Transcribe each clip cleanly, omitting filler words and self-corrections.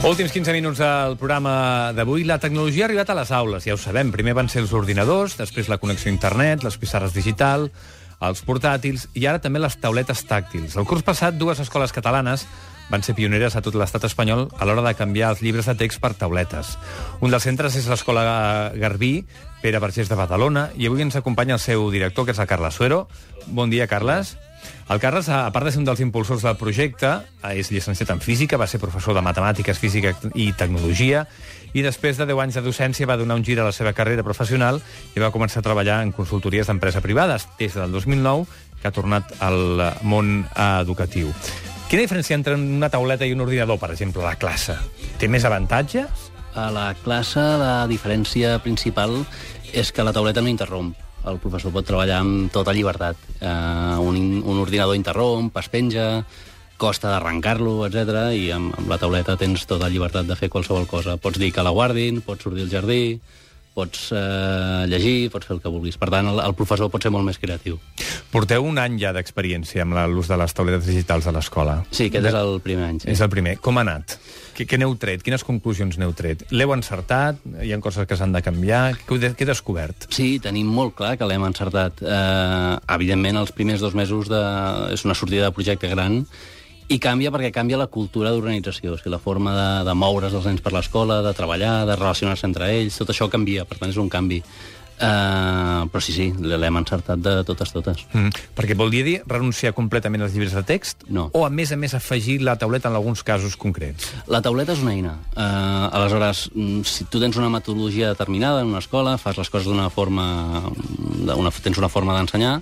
Últims 15 minuts del programa d'avui. La tecnologia ha arribat a les aules, ja ho sabem. Primer van ser els ordinadors, després la connexió a internet, les pissarres digital, els portàtils i ara també les tauletes tàctils. El curs passat, dues escoles catalanes van ser pioneres a tot l'estat espanyol a l'hora de canviar els llibres de text per tauletes. Un dels centres és l'Escola Garbí, Pere Vergés de Badalona, i avui ens acompanya el seu director, que és el Carles Suero. Bon dia, Carles. El Carles, a part de ser un dels impulsors del projecte, és llicenciat en física, va ser professor de matemàtiques, física i tecnologia, i després de 10 anys de docència va donar un gir a la seva carrera professional i va començar a treballar en consultories d'empresa privades, des del 2009, que ha tornat al món educatiu. Quina diferència entre una tauleta i un ordinador, per exemple, a la classe? Té més avantatges? A la classe la diferència principal és que la tauleta no interromp. El professor pot treballar amb tota llibertat. Un ordinador interromp, es penja, costa d'arrencar-lo, etc. I amb la tauleta tens tota llibertat de fer qualsevol cosa. Pots dir que la guardin, pots sortir al jardí, pots llegir, pots fer el que vulguis. Per tant, el professor pot ser molt més creatiu. Porteu un any ja d'experiència amb l'ús de les tauletes digitals a l'escola. Sí, aquest és el primer any. Sí. És el primer. Com ha anat? Què n'heu tret? Quines conclusions n'heu tret? L'heu encertat? Hi ha coses que s'han de canviar? Què he descobert? Sí, tenim molt clar que l'hem encertat. Evidentment, els primers 2 mesos és una sortida de projecte gran i canvia perquè canvia la cultura d'organització. O sigui, la forma de moure's els nens per l'escola, de treballar, de relacionar-se entre ells, tot això canvia, per tant és un canvi. Però sí, l'hem encertat de totes. Perquè vol dir renunciar completament als llibres de text? No. O, a més, afegir la tauleta en alguns casos concrets? La tauleta és una eina. Aleshores, si tu tens una metodologia determinada en una escola, fas les coses d'una forma... tens una forma d'ensenyar,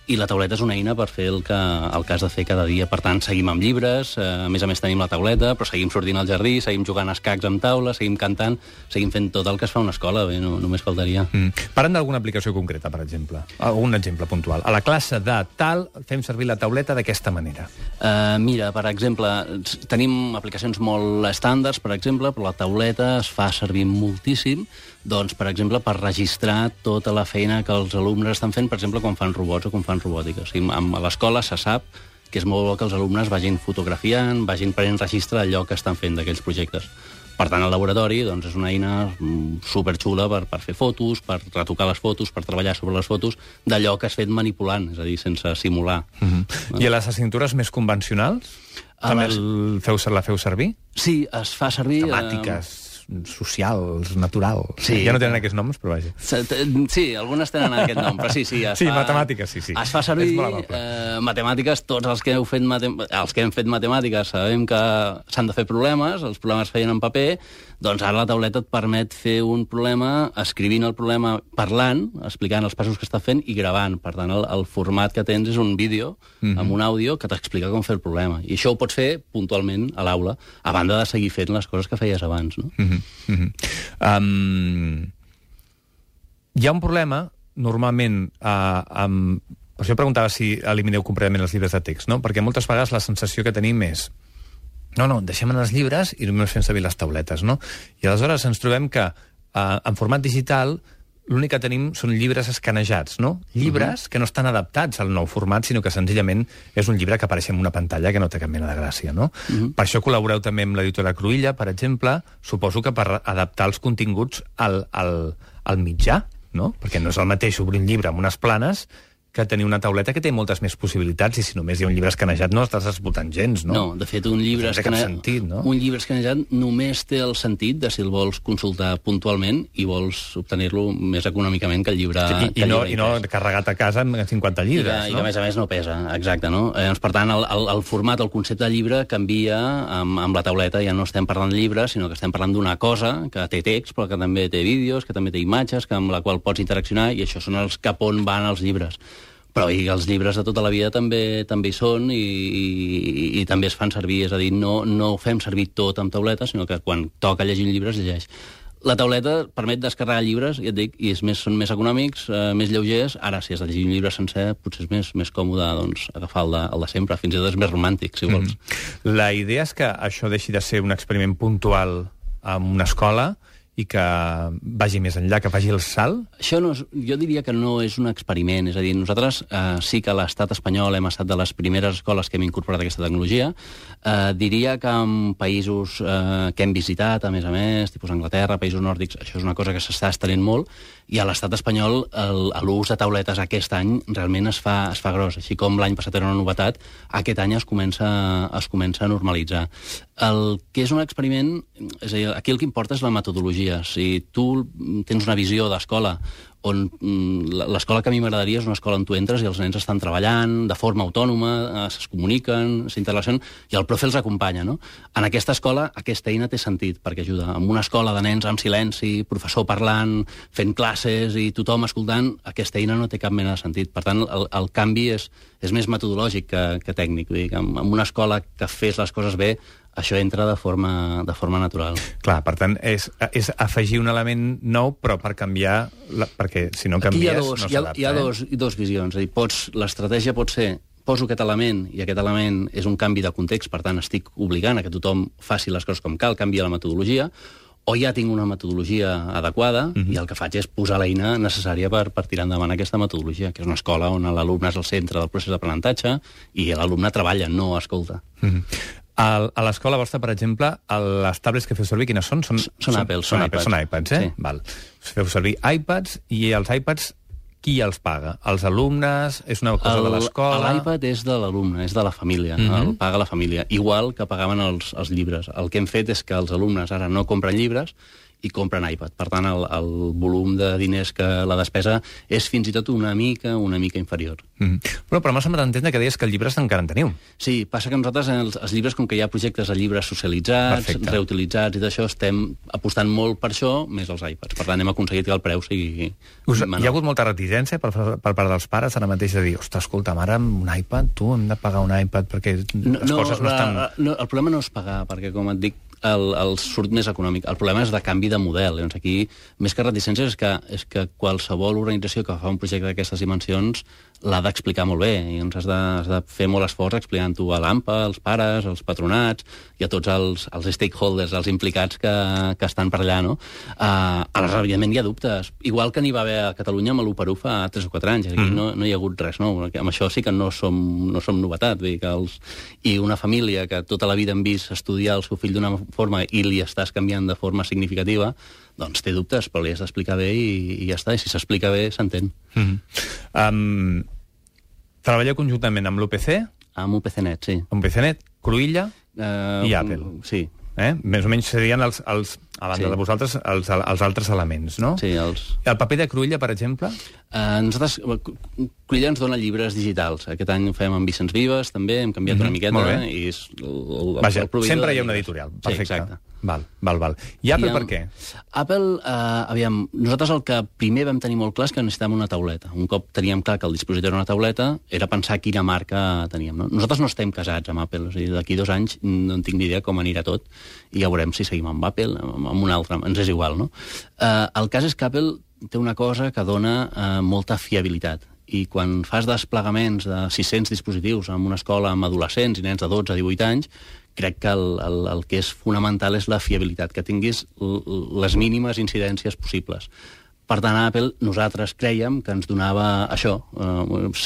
i la tauleta és una eina per fer el que has de fer cada dia. Per tant, seguim amb llibres, a més tenim la tauleta, però seguim sortint al jardí, seguim jugant a escacs amb taula, seguim cantant, seguim fent tot el que es fa a una escola, bé, només faltaria. Parlem d'alguna aplicació concreta, per exemple. Algun exemple puntual. A la classe de tal fem servir la tauleta d'aquesta manera. Mira, per exemple, tenim aplicacions molt estàndards, per exemple, però la tauleta es fa servir moltíssim, doncs, per exemple, per registrar tota la feina que els alumnes estan fent, per exemple, quan fan robots o quan fan robòtica. O sigui, a l'escola se sap que és molt bo que els alumnes vagin fotografiant, vagin prenent registre d'allò que estan fent d'aquells projectes. Per tant, el laboratori doncs, és una eina superxula per fer fotos, per retocar les fotos, per treballar sobre les fotos d'allò que has fet manipulant, és a dir, sense simular. I a les assignatures més convencionals? També la feu servir? Sí, es fa servir... Temàtiques socials, naturals... Sí. Ja no tenen aquests noms, però vaja. Sí, algunes tenen aquest nom, però sí. Sí, matemàtiques, sí. Es fa servir matemàtiques, tots els que hem fet matemàtiques sabem que s'han de fer problemes, els problemes es feien en paper, doncs ara la tauleta et permet fer un problema escrivint el problema, parlant, explicant els passos que està fent i gravant. Per tant, el format que tens és un vídeo amb un àudio que t'explica com fer el problema. I això ho pots fer puntualment a l'aula, a banda de seguir fent les coses que feies abans, no? Hi ha un problema, normalment, per això preguntava si elimineu completament els llibres de text, no? Perquè moltes vegades la sensació que tenim és no, deixem en els llibres i només fem servir les tauletes, no? I aleshores ens trobem que en format digital l'únic que tenim són llibres escanejats, no? Llibres que no estan adaptats al nou format, sinó que senzillament és un llibre que apareix en una pantalla que no té cap mena de gràcia, no? Per això col·laboreu també amb l'editora Cruïlla, per exemple, suposo que per adaptar els continguts al mitjà, no? Perquè no és el mateix obrir un llibre amb unes planes que tenir una tauleta que té moltes més possibilitats i si només hi ha un llibre escanejat no estàs escoltant gens, no? No, de fet, un llibre escanejat només té el sentit de si el vols consultar puntualment i vols obtenir-lo més econòmicament que el llibre... I no carregat a casa amb 50 llibres, no? I que, a més no pesa, exacte, no? Per tant, el format, el concepte de llibre canvia amb la tauleta, ja no estem parlant de llibres, sinó que estem parlant d'una cosa que té text, però que també té vídeos, que també té imatges, amb la qual pots interaccionar, i això són els cap on van els llibres. Però els llibres de tota la vida també hi són i també es fan servir, és a dir, no fem servir tot amb tauleta, sinó que quan toca llegir un llibre es llegeix. La tauleta permet descarregar llibres, ja et dic, i són més econòmics, més lleugers. Ara, si has de llegir un llibre sencer, potser és més còmode agafar el de sempre, fins i tot és més romàntic, si vols. La idea és que això deixi de ser un experiment puntual en una escola i que vagi més enllà, que faci el salt? Això jo diria que no és un experiment. És a dir, nosaltres sí que a l'estat espanyol hem estat de les primeres escoles que hem incorporat aquesta tecnologia. Diria que en països que hem visitat, a més, tipus Anglaterra, països nòrdics, això és una cosa que s'està estenent molt, i a l'estat espanyol l'ús de tauletes aquest any realment es fa gros. Així com l'any passat era una novetat, aquest any es comença a normalitzar. El que és un experiment, és a dir, aquí el que importa és la metodologia. Si tu tens una visió d'escola on l'escola que a mi m'agradaria és una escola on tu entres i els nens estan treballant de forma autònoma, es comuniquen, s'interrelacionen, i el profe els acompanya, no? En aquesta escola, aquesta eina té sentit, perquè ajuda. En una escola de nens amb silenci, professor parlant, fent classes i tothom escoltant, aquesta eina no té cap mena de sentit. Per tant, el canvi és més metodològic que tècnic. Vull dir que en una escola que fes les coses bé, això entra de forma natural. Clar, per tant, és afegir un element nou, però per canviar, perquè si no canvies no s'adapta. Hi ha dos visions. És a dir, l'estratègia pot ser poso aquest element, i aquest element és un canvi de context, per tant estic obligant a que tothom faci les coses com cal, canvia la metodologia, o ja tinc una metodologia adequada i el que faig és posar l'eina necessària per tirar endavant aquesta metodologia, que és una escola on l'alumne és el centre del procés d'aprenentatge i l'alumne treballa, no escolta. A l'escola vostra, per exemple, les tablets que feu servir, quines són? Són Apple, són iPads. Són iPads, eh? Sí. Val. Feu servir iPads, i els iPads qui els paga? Els alumnes? És una cosa de l'escola? L'iPad és de l'alumne, és de la família, el paga la família, igual que pagaven els llibres. El que hem fet és que els alumnes ara no compren llibres i compren iPad. Per tant, el volum de diners que la despesa és fins i tot una mica inferior. Però m'ha semblat entendre que deies que els llibres encara en teniu. Sí, passa que nosaltres, els llibres, com que hi ha projectes de llibres socialitzats, reutilitzats i d'això, estem apostant molt per això, més els iPads. Per tant, hem aconseguit que el preu sigui menor. Hi ha hagut molta reticència per part dels pares ara mateix de dir, ostres, escolta, ara amb un iPad, tu hem de pagar un iPad perquè les coses no estan... El problema no és pagar, perquè, com et dic, el surt més econòmic. El problema és de canvi de model. Llavors, aquí, més que reticències, és que qualsevol organització que fa un projecte d'aquestes dimensions l'ha d'explicar molt bé. I has de fer molt esforç explicant-ho a l'AMPA, als pares, als patronats i a tots els stakeholders, els implicats que estan per allà, no? Aleshores, evidentment, hi ha dubtes. Igual que n'hi va haver a Catalunya amb l'1x1 fa 3 o 4 anys. Aquí no hi ha hagut res nou. Amb això sí que no som novetat. Vull dir que i una família que tota la vida hem vist estudiar el seu fill d'una forma i li estàs canviant de forma significativa, doncs té dubtes, però li has d'explicar bé i ja està. I si s'explica bé, s'entén. Treballeu conjuntament amb l'UPC? Amb UPCnet, sí. Amb UPCnet, Cruïlla i Apple. Sí. Més o menys serien a banda de vosaltres, els altres elements, no? Sí, El paper de Cruïlla, per exemple? Nosaltres, Cruïlla ens dona llibres digitals. Aquest any ho fem amb Vicenç Vives, també, hem canviat una miqueta. I és vaja, sempre hi ha una editorial. Perfecte. Sí, exacte. Val. I Apple per què? Apple, aviam, nosaltres el que primer vam tenir molt clar és que necessitàvem una tauleta. Un cop teníem clar que el dispositiu era una tauleta, era pensar quina marca teníem. No? Nosaltres no estem casats amb Apple, és a dir, d'aquí 2 anys no en tinc ni idea com anirà tot, i ja veurem si seguim amb Apple, amb un altre, ens és igual, no? El cas és que Apple té una cosa que dona molta fiabilitat, i quan fas desplegaments de 600 dispositius en una escola amb adolescents i nens de 12 a 18 anys, crec que el que és fonamental és la fiabilitat, que tinguis les mínimes incidències possibles. Per tant, a Apple nosaltres crèiem que ens donava això,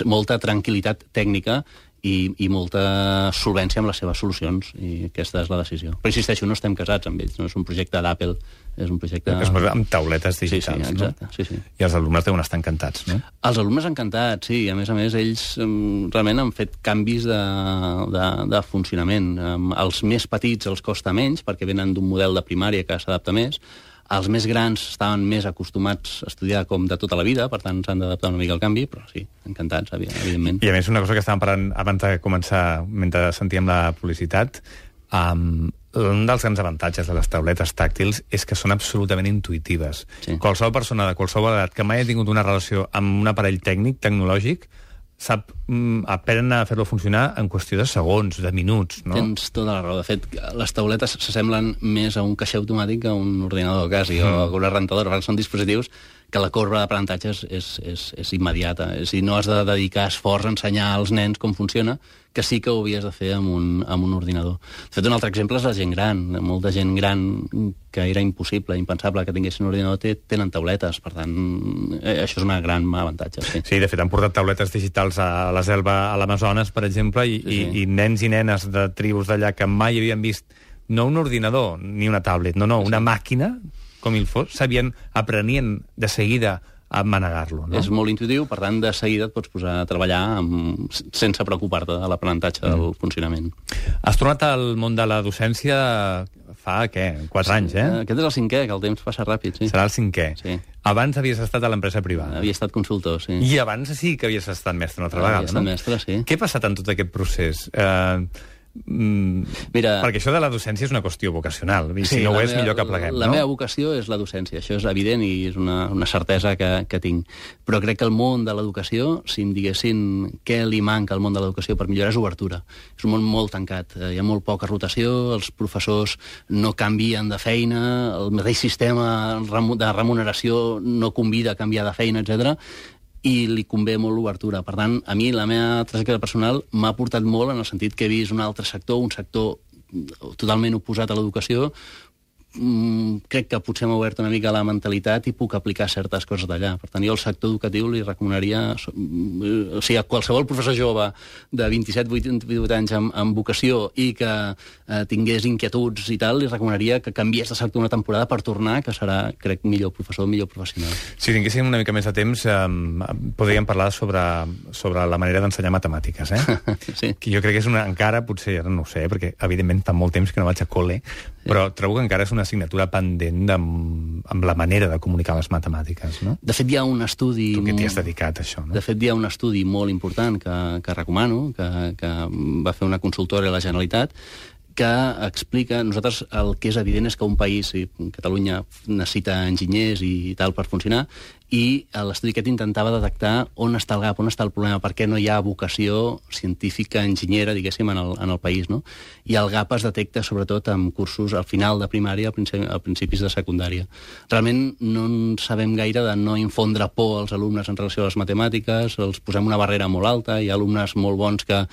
molta tranquil·litat tècnica i molta solvència amb les seves solucions, i aquesta és la decisió. Però insisteixo, no estem casats amb ells, no és un projecte d'Apple, és un projecte... Es posa amb tauletes digitals, sí, exacte, no? Sí. I els alumnes deuen estar encantats, no? Els alumnes encantats, sí, i a més, ells realment han fet canvis de funcionament. Els més petits els costa menys, perquè venen d'un model de primària que s'adapta més. Els més grans estaven més acostumats a estudiar com de tota la vida, per tant s'han d'adaptar una mica al canvi, però sí, encantats, evidentment. I a més, una cosa que estàvem parlant abans de començar, mentre sentíem la publicitat, un dels grans avantatges de les tauletes tàctils és que són absolutament intuïtives. Sí. Qualsevol persona de qualsevol edat que mai ha tingut una relació amb un aparell tècnic, aprenen a fer-lo funcionar en qüestió de segons, de minuts, no? Tens tota la raó. De fet, les tauletes s'assemblen més a un caixer automàtic que a un ordinador, quasi, o a una rentadora, perquè són dispositius que la corba d'aprenentatge és immediata. És a dir, no has de dedicar esforç a ensenyar als nens com funciona, que sí que ho havies de fer amb un ordinador. De fet, un altre exemple és la gent gran. Molta gent gran que era impossible, impensable que tinguessin un ordinador, tenen tauletes. Per tant, això és un gran avantatge. Sí, de fet, han portat tauletes digitals a la selva, a l'Amazones, per exemple, i nens i nenes de tribus d'allà que mai havien vist no un ordinador ni una tablet, no, una màquina, com el fos, aprenien de seguida a manegar-lo. No? És molt intuitiu, per tant, de seguida et pots posar a treballar sense preocupar-te de l'aprenentatge del funcionament. Has tornat al món de la docència fa, 4 anys, eh? Aquest és el 5è, que el temps passa ràpid, sí. Serà el 5è. Sí. Abans havies estat a l'empresa privada. Havia estat consultor, sí. I abans sí que havies estat mestre una altra vegada, no? Havia estat mestre, sí. Què ha passat en tot aquest procés? Mira, perquè això de la docència és una qüestió vocacional, i si no ho és, millor que pleguem. La meva vocació és la docència, això és evident i és una certesa que tinc. Però crec que el món de l'educació, si em diguessin què li manca al món de l'educació per millorar, és obertura. És un món molt tancat, hi ha molt poca rotació, els professors no canvien de feina, el mateix sistema de remuneració no convida a canviar de feina, etc. I li convé molt l'obertura. Per tant, a mi la meva trajectòria personal m'ha portat molt en el sentit que he vist un altre sector, un sector totalment oposat a l'educació. Crec que potser m'ha obert una mica la mentalitat i puc aplicar certes coses d'allà. Per tant, jo al sector educatiu li recomanaria, o sigui, a qualsevol professor jove de 27-28 anys amb vocació i que tingués inquietuds i tal, li recomanaria que canviés de sector una temporada per tornar, que serà, crec, millor professor, millor professional. Si tinguéssim una mica més de temps, podríem parlar sobre la manera d'ensenyar matemàtiques, eh? Sí. Que jo crec que és encara, potser, ara no ho sé, perquè evidentment fa molt temps que no vaig a col·le, però trobo que encara és una assignatura pendent amb la manera de comunicar les matemàtiques, no? De fet, hi ha un estudi... Tu que t'hi has dedicat, això, no? De fet, hi ha un estudi molt important que recomano, que va fer una consultora a la Generalitat, que explica... Nosaltres el que és evident és que un país, Catalunya, necessita enginyers i tal per funcionar, i l'estudi aquest intentava detectar on està el gap, on està el problema, per què no hi ha vocació científica, enginyera, diguéssim, en el país, no? I el gap es detecta sobretot amb cursos al final de primària, a principis de secundària. Realment no en sabem gaire de no infondre por als alumnes en relació a les matemàtiques, els posem una barrera molt alta, hi ha alumnes molt bons que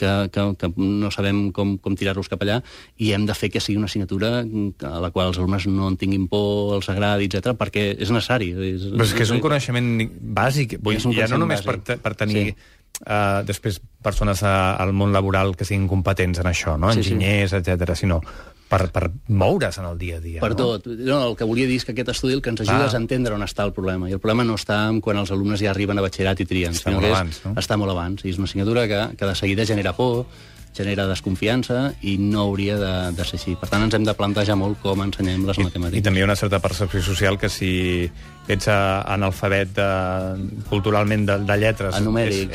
no sabem com tirar-los cap allà, i hem de fer que sigui una assignatura a la qual els alumnes no en tinguin por, els agradi, etc, perquè és necessari. Però és que és un coneixement bàsic, ja no només per tenir després persones al món laboral que siguin competents en això, no? Enginyers, etc, sinó per moure's en el dia a dia. Per tot. No, el que volia dir és que aquest estudi el que ens ajuda és a entendre on està el problema. I el problema no està quan els alumnes ja arriben a batxillerat i trien. Està molt abans, no? Està molt abans. I és una assignatura que de seguida genera por, genera desconfiança i no hauria de ser així. Per tant, ens hem de plantejar molt com ensenyem les matemàtiques. I també hi ha una certa percepció social que si ets analfabet culturalment de lletres... Numèric,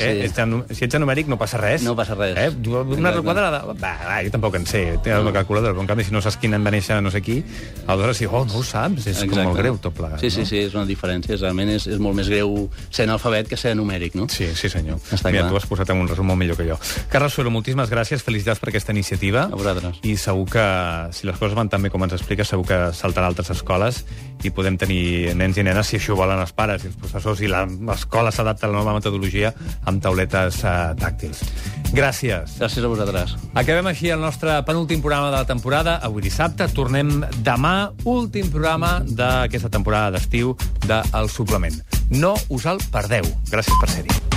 si ets numèric no passa res. No passa res. Una quadrada... Jo tampoc en sé, té una calculadora, però en canvi si no saps quin any va néixer no sé qui, aleshores no ho saps, és com molt greu tot plegat. Sí, és una diferència. Realment és molt més greu ser analfabet que ser numèric, no? Sí, senyor. Mira, tu has posat en un resum molt millor que jo. Carles Suero, moltíssimes gràcies, felicitats per aquesta iniciativa. A vosaltres. I segur que, si les coses van tan bé com ens expliques, segur que saltarà a altres escoles i podem tenir nens i nenes, si això ho volen els pares i els professors, i l'escola s'adapta a la nova metodologia amb tauletes tàctils. Gràcies. Gràcies a vosaltres. Acabem així el nostre penúltim programa de la temporada, avui dissabte. Tornem demà, últim programa d'aquesta temporada d'estiu de El Suplement. No us el perdeu. Gràcies per ser-hi.